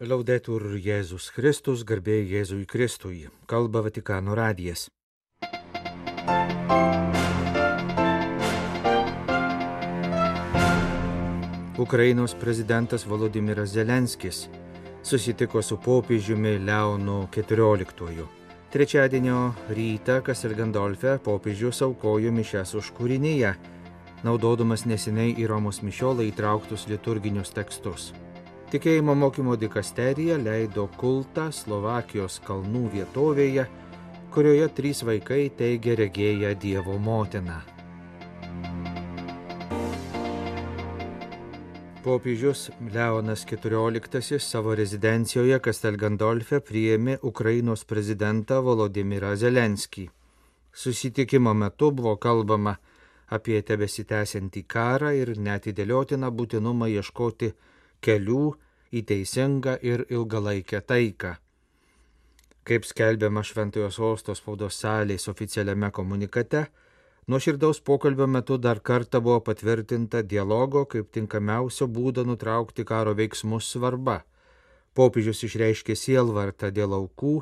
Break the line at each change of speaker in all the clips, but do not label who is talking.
Laudetur Jėzus Kristus, garbė Jėzui Kristui, kalba Vatikano radijas. Ukrainos prezidentas Volodymyras Zelenskis susitiko su popiežiumi Leonu XIV. Trečiadienio rytą Kastelgandolfe popiežius aukojo mišias už kūrinyje, naudodamas neseniai į Romos mišiolą įtrauktus liturginius tekstus. Tikėjimo mokymo dikasterija leido kultą Slovakijos kalnų vietovėje, kurioje 3 vaikai teigia regėję Dievo motiną. Popiežius Leonas XIV savo rezidencijoje Kastelgandolfe priėmė Ukrainos prezidentą Volodymyrą Zelenskį. Susitikimo metu buvo kalbama apie tebesitęsiantį karą ir neatidėliotiną būtinumą ieškoti kelių į teisingą ir ilgalaikę taiką. Kaip skelbiama Šventojo Sosto spaudos salės oficialiame komunikate, nuoširdaus pokalbio metu dar kartą buvo patvirtinta dialogo kaip tinkamiausio būdo nutraukti karo veiksmus svarba. Popiežius išreiškė sielvartą dėl aukų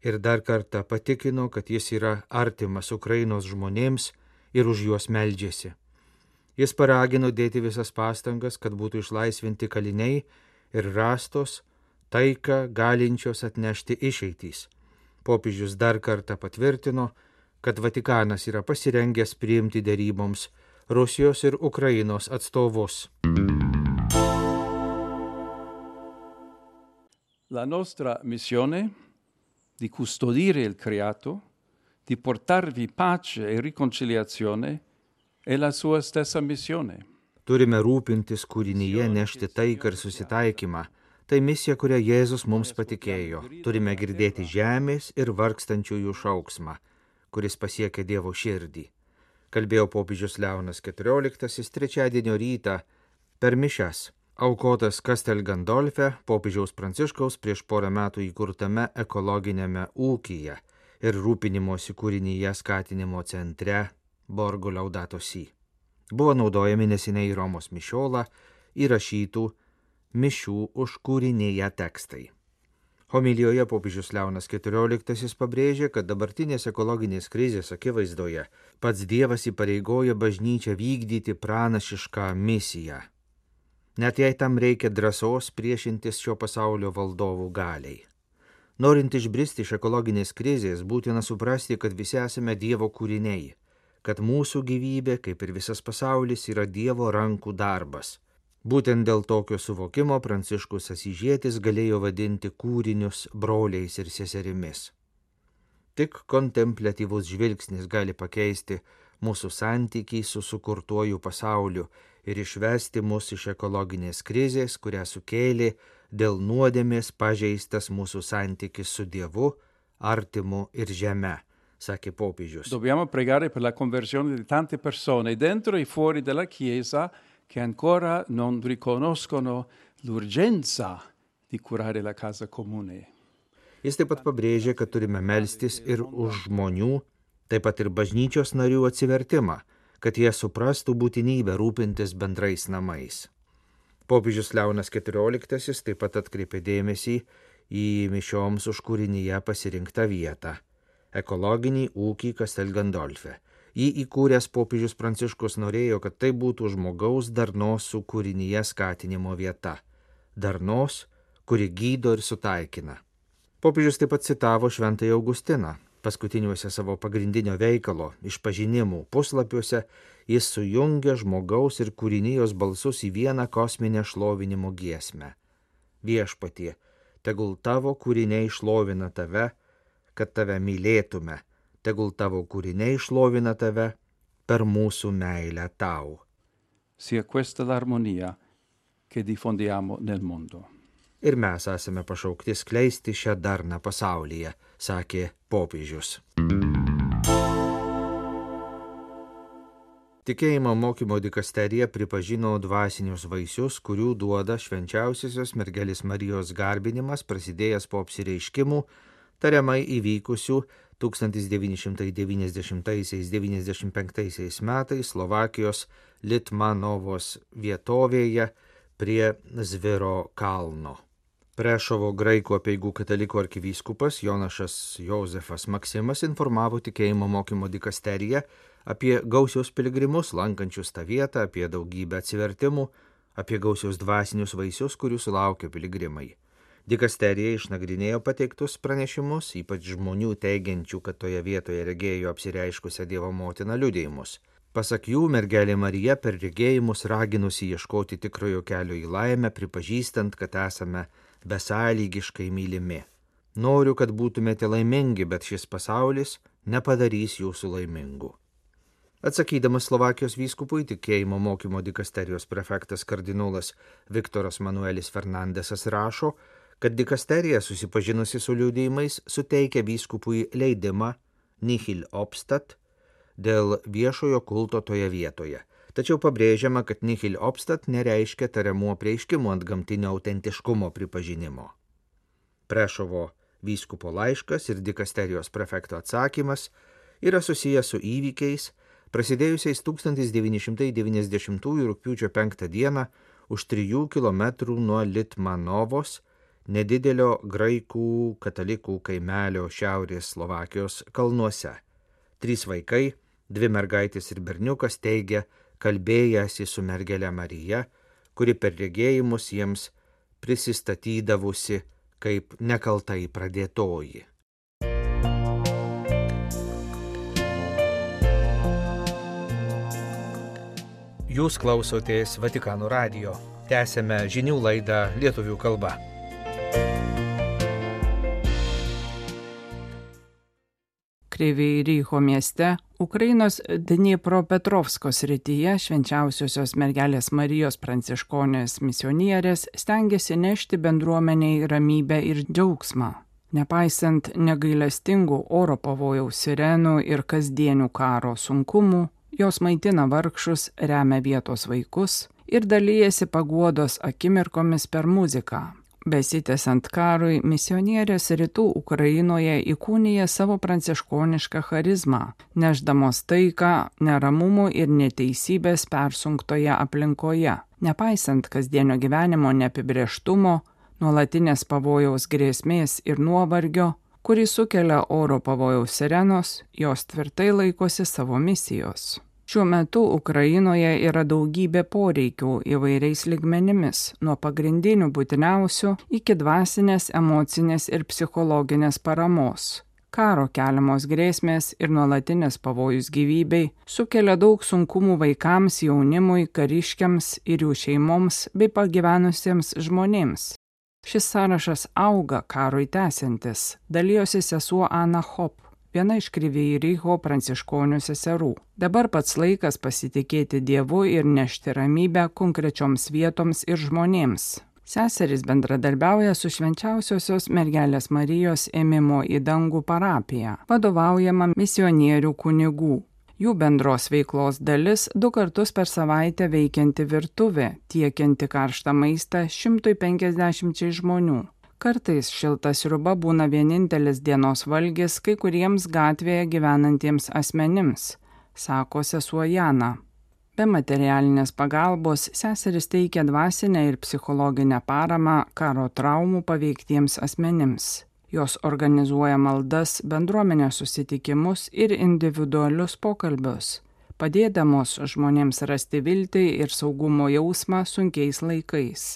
ir dar kartą patikino, kad jis yra artimas Ukrainos žmonėms ir už juos meldžiasi. Jis paragino dėti visas pastangas, kad būtų išlaisvinti kaliniai ir rastos taiką galinčios atnešti išeitys. Popiežius dar kartą patvirtino, kad Vatikanas yra pasirengęs priimti deryboms Rusijos ir Ukrainos atstovus.
La nostra missione di custodire il creato, di portarvi pace e riconciliazione è la sua stessa missione.
Turime rūpintis kūrinyje, nešti taiką ir susitaikymą. Tai misija, kurią Jėzus mums patikėjo. Turime girdėti žemės ir vargstančiųjų šauksmą, kuris pasiekia Dievo širdį. Kalbėjo popiežius Leonas XIV trečiadienio rytą per mišias, aukotas Kastelgandolfe popiežiaus Pranciškaus prieš porą metų įkurtame ekologinėme ūkyje ir rūpinimosi kūrinyje skatinimo centre Borgo Laudato Si. Buvo naudojami neseniai Romos mišiolą įrašytų mišių už kūrinyje tekstai. Homilijoje popiežius Leonas XIV pabrėžė, kad dabartinės ekologinės krizės akivaizdoje pats Dievas įpareigoja bažnyčią vykdyti pranašišką misiją. Net jei tam reikia drąsos priešintis šio pasaulio valdovų galiai. Norint išbristi iš ekologinės krizės, būtina suprasti, kad visi esame Dievo kūriniai, kad mūsų gyvybė, kaip ir visas pasaulis, yra Dievo rankų darbas. Būtent dėl tokio suvokimo Pranciškus Asyžietis galėjo vadinti kūrinius broliais ir seserimis. Tik kontempliatyvus žvilgsnis gali pakeisti mūsų santykį su sukurtuoju pasauliu ir išvesti mus iš ekologinės krizės, kurią sukėlė dėl nuodėmės pažeistas mūsų santykis su Dievu, artimu ir žeme, sakė popiežius.
Dobbiamo pregare per la conversione di tante persone dentro e fuori della Chiesa che ancora non riconoscono l'urgenza di curare la casa comune.
Jis taip pat pabrėžė, kad turime melstis ir už žmonių, taip pat ir bažnyčios narių atsivertimą, kad jie suprastų būtinybę rūpintis bendrais namais. Popiežius Leonas XIV taip pat atkreipė dėmesį į mišioms už kūrinyje pasirinktą vietą – ekologinį ūkį Kastelgandolfe. Jį įkūręs popiežius Pranciškus norėjo, kad tai būtų žmogaus darnos su kūrinyje skatinimo vieta. Darnos, kuri gydo ir sutaikina. Popiežius taip pat citavo Šventąjį Augustiną. Paskutiniuose savo pagrindinio veikalo išpažinimų puslapiuose jis sujungia žmogaus ir kūrinijos balsus į vieną kosminę šlovinimo giesmę. Viešpatie, tegul tavo kūriniai šlovina tave, kad tave mylėtume, tegul tavo kūriniai šlovina tave per mūsų meilę tau.
Sia questa l'armonia che diffondiamo nel mondo.
Ir mes esame pašaukti skleisti šią darną pasaulyje, sakė popiežius. Tikėjimo mokymo dikasterija pripažino dvasinius vaisius, kurių duoda švenčiausiosios mergelės Marijos garbinimas, prasidėjęs po apsireiškimų, tariamai įvykusių 1990–1995 metais Slovakijos Litmanovos vietovėje prie Zviro kalno. Prešovo graikų apeigų katalikų arkivyskupas Jonašas Jozefas Maksimas informavo tikėjimo mokymo dikasteriją apie gausius piligrimus lankančius tą vietą, apie daugybę atsivertimų, apie gausius dvasinius vaisius, kurių sulaukia piligrimai. Dikasterija išnagrinėjo pateiktus pranešimus, ypač žmonių teigiančių, kad toje vietoje regėjo apsireiškusią Dievo motiną liudijimus. Pasak jų, mergelė Marija per regėjimus raginusi ieškoti tikrojo kelio į laimę, pripažįstant, kad esame besąlygiškai mylimi. Noriu, kad būtumėte laimingi, bet šis pasaulis nepadarys jūsų laimingų. Atsakydamas Slovakijos vyskupui, tikėjimo mokymo dikasterijos prefektas kardinolas Viktoras Manuelis Fernandesas rašo, kad dikasterija susipažinusi su liudijimais suteikia vyskupui leidimą nihil obstat dėl viešojo kulto toje vietoje. Tačiau pabrėžiama, kad nihil obstat nereiškia tariamų apreiškimų ant gamtinio autentiškumo pripažinimo. Prešovo vyskupo laiškas ir dikasterijos prefekto atsakymas yra susijęs su įvykiais, prasidėjusiais 1990 rugpjūčio 5 dieną už 3 kilometrų nuo Litmanovos, nedidelio graikų katalikų kaimelio šiaurės Slovakijos kalnuose. 3 vaikai, 2 mergaitės ir berniukas teigia, kalbėjęsi su mergele Marija, kuri per regėjimus jiems prisistatydavusi kaip nekaltai pradėtoji. Jūs klausotės Vatikano radijo. Tęsėme žinių laidą lietuvių kalba.
Kryvyj Ryho mieste, Ukrainos Dnipropetrovsko srityje švenčiausiosios mergelės Marijos pranciškonės misionierės stengiasi nešti bendruomeniai ramybę ir džiaugsmą. Nepaisant negailestingų oro pavojaus sirenų ir kasdienių karo sunkumų, jos maitina vargšus, remia vietos vaikus ir dalyjasi paguodos akimirkomis per muziką. Besitęsiant karui, misionierės rytų Ukrainoje įkūnija savo pranciškonišką charizmą, nešdamos taiką, neramumų ir neteisybės persunktoje aplinkoje. Nepaisant kasdienio gyvenimo neapibrėžtumo, nuolatinės pavojaus grėsmės ir nuovargio, kurį sukelia oro pavojaus sirenos, jos tvirtai laikosi savo misijos. Šiuo metu Ukrainoje yra daugybė poreikių įvairiais lygmenimis, nuo pagrindinių būtiniausių iki dvasinės, emocinės ir psichologinės paramos. Karo keliamos grėsmės ir nuolatinės pavojus gyvybei sukelia daug sunkumų vaikams, jaunimui, kariškiams ir jų šeimoms bei pagyvenusiems žmonėms. Šis sąrašas auga karui tęsiantis, dalijosi sesuo Ana Hop, viena iš Kryvyj Ryho pranciškonių seserų. Dabar pats laikas pasitikėti Dievu ir nešti ramybę konkrečioms vietoms ir žmonėms. Seserys bendradarbiauja su švenčiausiosios mergelės Marijos ėmimo į dangų parapija, vadovaujama misionierių kunigų. Jų bendros veiklos dalis 2 kartus per savaitę veikianti virtuvė, tiekianti karštą maistą 150 žmonių. Kartais šilta sriuba būna vienintelis dienos valgis kai kuriems gatvėje gyvenantiems asmenims, sako sesuo Jana. Be materialinės pagalbos seseris teikia dvasinę ir psichologinę paramą karo traumų paveiktiems asmenims. Jos organizuoja maldas, bendruomenės susitikimus ir individualius pokalbius, padėdamos žmonėms rasti viltį ir saugumo jausmą sunkiais laikais.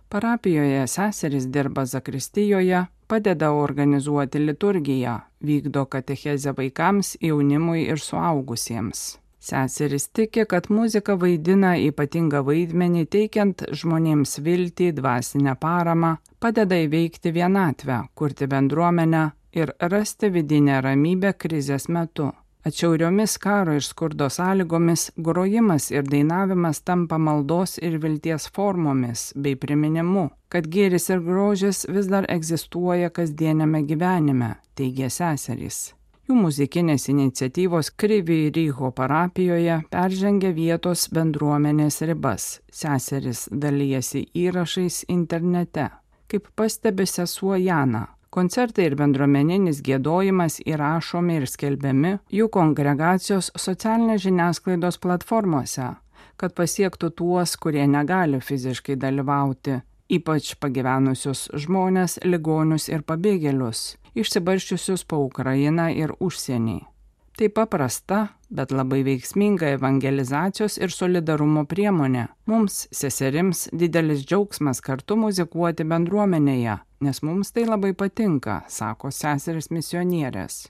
Parapijoje seserys dirba zakristijoje, padeda organizuoti liturgiją, vykdo katechezę vaikams, jaunimui ir suaugusiems. Seserys tiki, kad muzika vaidina ypatingą vaidmenį teikiant žmonėms viltį, dvasinę paramą, padeda įveikti vienatvę, kurti bendruomenę ir rasti vidinę ramybę krizės metu. Atšiauriomis karo ir skurdo sąlygomis grojimas ir dainavimas tampa maldos ir vilties formomis bei priminimu, kad gėris ir grožis vis dar egzistuoja kasdieniame gyvenime, teigia seserys. Jų muzikinės iniciatyvos Kryvyj Ryho parapijoje peržengia vietos bendruomenės ribas. Seserys dalijasi įrašais internete. Kaip pastebi sesuo Jana, koncertai ir bendruomeninis giedojimas įrašomi ir skelbiami jų kongregacijos socialinės žiniasklaidos platformose, kad pasiektų tuos, kurie negali fiziškai dalyvauti, ypač pagyvenusius žmonės, ligonius ir pabėgėlius, išsibarsčiusius po Ukrainą ir užsienį. Tai paprasta, bet labai veiksminga evangelizacijos ir solidarumo priemonė. Mums, seserims, didelis džiaugsmas kartu muzikuoti bendruomenėje, nes mums tai labai patinka, sako seserys misionierės.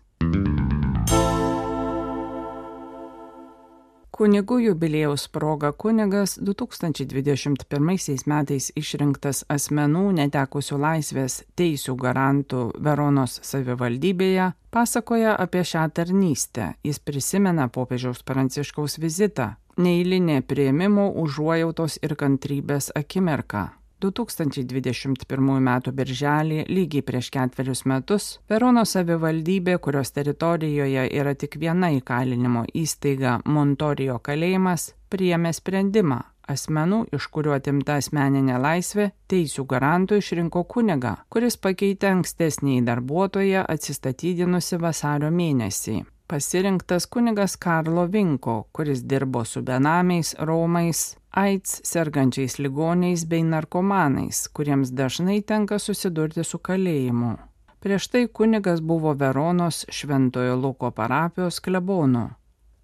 Kunigų jubiliejaus proga kunigas 2021 metais išrinktas asmenų netekusių laisvės teisių garantų Veronos savivaldybėje pasakoja apie šią tarnystę. Jis prisimena popiežiaus Pranciškaus vizitą, neeilinė priėmimo, užuojautos ir kantrybės akimirka. 2021 m. birželį, lygiai prieš 4 metus, Veronos savivaldybė, kurios teritorijoje yra tik viena įkalinimo įstaiga Montorijo kalėjimas, priėmė sprendimą. Asmenų, iš kuriuo atimta asmeninė laisvė, teisių garantų išrinko kunigą, kuris pakeitė ankstesnį darbuotoją atsistatydinusi vasario mėnesį. Pasirinktas kunigas Karlo Vinko, kuris dirbo su benamiais, romais, AIDS sergančiais ligoniais bei narkomanais, kuriems dažnai tenka susidurti su kalėjimu. Prieš tai kunigas buvo Veronos Šventojo Luko parapijos klebonu.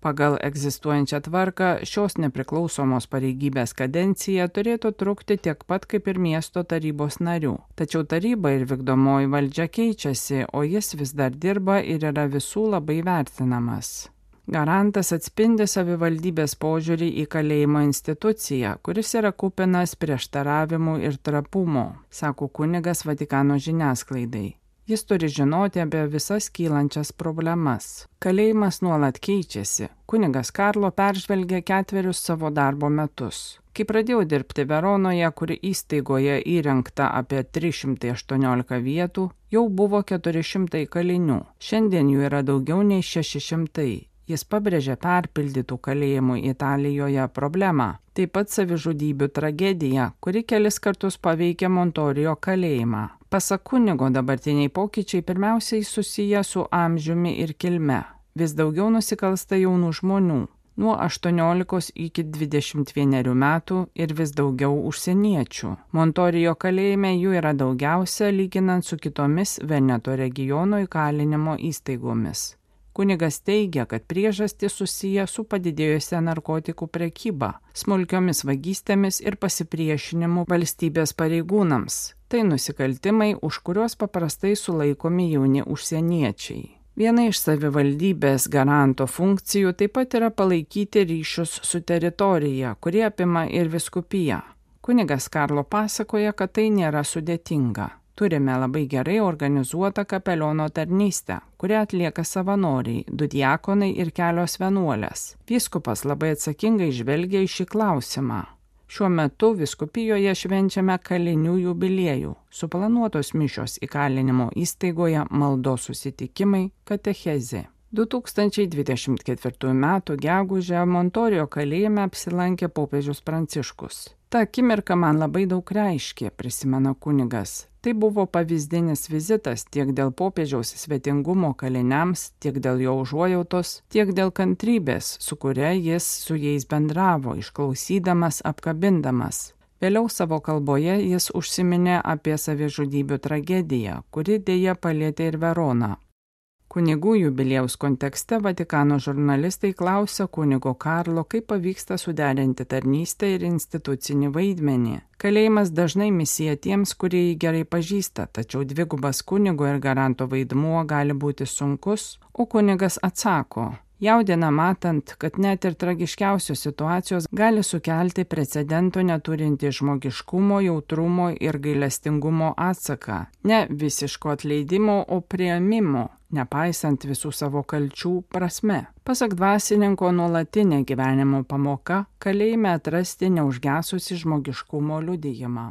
Pagal egzistuojančią tvarką šios nepriklausomos pareigybės kadencija turėtų trukti tiek pat kaip ir miesto tarybos narių. Tačiau taryba ir vykdomoji valdžia keičiasi, o jis vis dar dirba ir yra visų labai vertinamas. Garantas atspindi savivaldybės požiūrį į kalėjimo instituciją, kuris yra kupinas prieštaravimų ir trapumo, sako kunigas Vatikano žiniasklaidai. Jis turi žinoti apie visas kylančias problemas. Kalėjimas nuolat keičiasi. Kunigas Karlo peržvelgė 4 savo darbo metus. Kai pradėjau dirbti Veronoje, kuri įstaigoje įrengta apie 318 vietų, jau buvo 400 kalinių. Šiandien jų yra daugiau nei 600. Jis pabrėžė perpildytų kalėjimų Italijoje problemą, taip pat savižudybių tragediją, kuri kelis kartus paveikė Montorijo kalėjimą. Pasak kunigo, dabartiniai pokyčiai pirmiausiai susiję su amžiumi ir kilme. Vis daugiau nusikalsta jaunų žmonių, nuo 18 iki 21 metų ir vis daugiau užsieniečių. Montorijo kalėjime jų yra daugiausia lyginant su kitomis Veneto regiono įkalinimo įstaigomis. Kunigas teigia, kad priežastys susiję su padidėjusia narkotikų prekyba, smulkiomis vagystėmis ir pasipriešinimu valstybės pareigūnams. Tai nusikaltimai, už kuriuos paprastai sulaikomi jauni užsieniečiai. Viena iš savivaldybės garanto funkcijų taip pat yra palaikyti ryšius su teritorija, kurie apima ir vyskupiją. Kunigas Karlo pasakoja, kad tai nėra sudėtinga. Turime labai gerai organizuotą kapeliono tarnystę, kurią atlieka savanoriai, 2 diakonai ir kelios vienuolės. Vyskupas labai atsakingai žvelgia į šį klausimą. Šiuo metu vyskupijoje švenčiame kalinių jubiliejų, suplanuotos mišios įkalinimo įstaigoje, maldos susitikimai, katechezė. 2024 m. gegužę Montorijo kalėjime apsilankė popiežius Pranciškus. Ta akimirka man labai daug reiškė, prisimena kunigas. Tai buvo pavyzdinis vizitas tiek dėl popiežiaus svetingumo kaliniams, tiek dėl jo užuojautos, tiek dėl kantrybės, su kuria jis su jais bendravo, išklausydamas, apkabindamas. Vėliau savo kalboje jis užsiminė apie savižudybių tragediją, kuri dėja palietė ir Veroną. Kunigų jubiliejaus kontekste Vatikano žurnalistai klausia kunigo Karlo, kaip pavyksta suderinti tarnystę ir institucinį vaidmenį. Kalėjimas dažnai misija tiems, kurie jį gerai pažįsta, tačiau dvigubas kunigo ir garanto vaidmuo gali būti sunkus, o kunigas atsako. Jaudina matant, kad net ir tragiškiausios situacijos gali sukelti precedento neturinti žmogiškumo, jautrumo ir gailestingumo atsaką. Ne visiško atleidimo, o priėmimo, nepaisant visų savo kalčių prasme. Pasak dvasininko, nuolatinė gyvenimo pamoka kalėjime atrasti neužgesusi žmogiškumo liudijimą.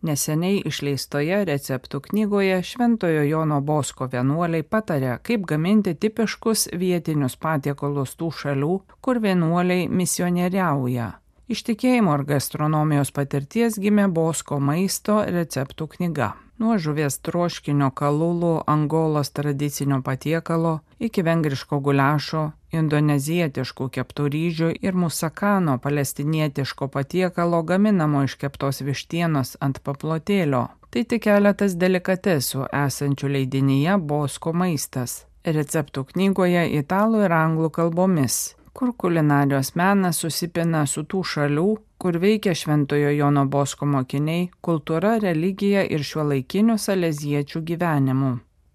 Neseniai išleistoje receptų knygoje Šventojo Jono Bosko vienuoliai patarė, kaip gaminti tipiškus vietinius patiekalus tų šalių, kur vienuoliai misionieriauja. Iš tikėjimo ir gastronomijos patirties gimė Bosko maisto receptų knyga. nuo žuvies troškinio kalulų Angolos tradicinio patiekalo iki vengriško guliašo, indonezietiškų keptų ryžių ir musakano palestinietiško patiekalo gaminamo iš keptos vištienos ant paplotėlio. Tai tik keletas delikatesų esančių leidinyje Bosko maistas, receptų knygoje italų ir anglų kalbomis, kur kulinarijos menas susipina su tų šalių, kur veikia Šventojo Jono Bosko mokiniai, kultūra, religija ir šiuolaikinių saleziečių gyvenimu.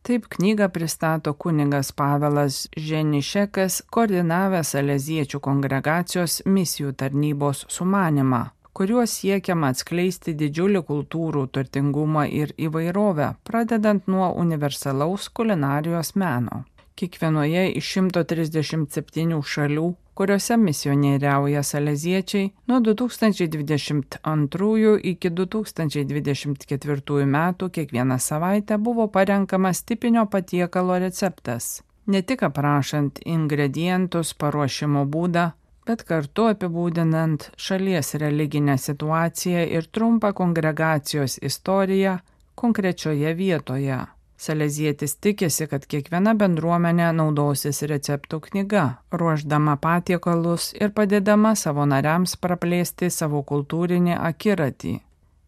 Taip knygą pristato kunigas Pavelas Ženišekas, koordinavęs saleziečių kongregacijos misijų tarnybos sumanimą, kuriuo siekiama atskleisti didžiulį kultūrų turtingumą ir įvairovę, pradedant nuo universalaus kulinarijos meno. Kiekvienoje iš 137 šalių, kuriuose misionieriauja saleziečiai, nuo 2022 iki 2024 metų kiekvieną savaitę buvo parenkamas tipinio patiekalo receptas, ne tik aprašant ingredientus, paruošimo būdą, bet kartu apibūdinant šalies religinę situaciją ir trumpą kongregacijos istoriją konkrečioje vietoje. Salezietis tikisi, kad kiekviena bendruomenė naudosis receptų knyga, ruošdama patiekalus ir padėdama savo nariams praplėsti savo kultūrinį akiratį.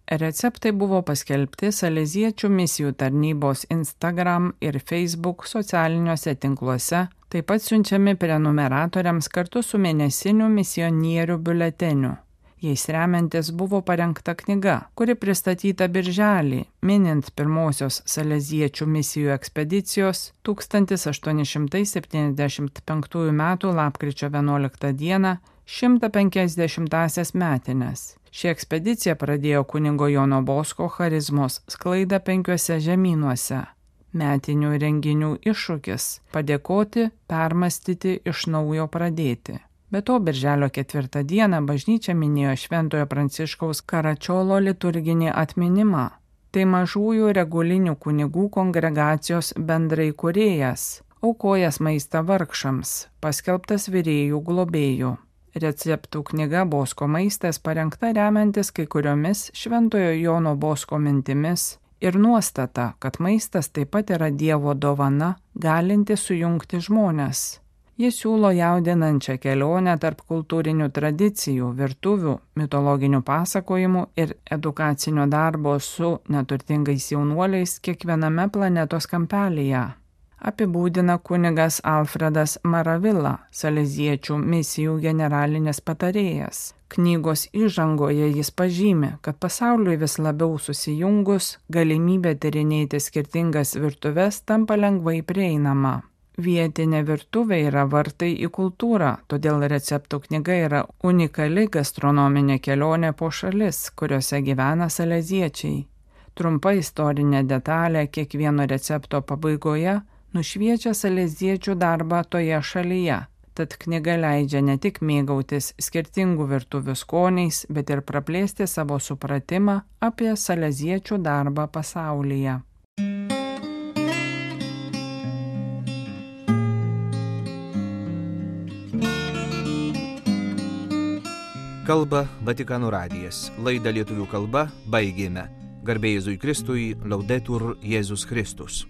Receptai buvo paskelbti saleziečių misijų tarnybos Instagram ir Facebook socialiniuose tinkluose, taip pat siunčiami prenumeratoriams kartu su mėnesiniu misionierių biuleteniu. Jais remiantis buvo parengta knyga, kuri pristatyta birželį, minint pirmosios saleziečių misijų ekspedicijos 1875 m. lapkričio 11 d. 150-asias metines. Ši ekspedicija pradėjo kunigo Jono Bosko charizmos sklaidą 5 žemynuose. Metinių renginių iššūkis – padėkoti, permastyti, iš naujo pradėti. Be to, birželio 4 dieną bažnyčia minėjo Šventojo Pranciškaus Karačiolo liturginį atminimą. Tai mažųjų regulinių kunigų kongregacijos bendraįkūrėjas, aukojęs maistą vargšams, paskelbtas virėjų globėjų. Receptų knyga Bosko maistas parengta remiantis kai kuriomis Šventojo Jono Bosko mintimis ir nuostata, kad maistas taip pat yra Dievo dovana, galinti sujungti žmones. Jis siūlo jaudinančią kelionę tarp kultūrinių tradicijų, virtuvių, mitologinių pasakojimų ir edukacinio darbo su neturtingais jaunuoliais kiekviename planetos kampelyje. Apibūdina kunigas Alfredas Maravilla, saleziečių misijų generalinis patarėjas. Knygos įžangoje jis pažymi, kad pasauliui vis labiau susijungus, galimybė tyrinėti skirtingas virtuves tampa lengvai prieinama. Vietinė virtuvė yra vartai į kultūrą, todėl receptų knyga yra unikali gastronominė kelionė po šalis, kuriuose gyvena saleziečiai. Trumpa istorinė detalė kiekvieno recepto pabaigoje nušviečia saleziečių darbą toje šalyje, tad knyga leidžia ne tik mėgautis skirtingų virtuvių skoniais, bet ir praplėsti savo supratimą apie saleziečių darbą pasaulyje.
Kalba Vatikano radijas. Laidą lietuvių kalba baigėme. Garbė Jėzui Kristui, Laudetur Jėzus Kristus.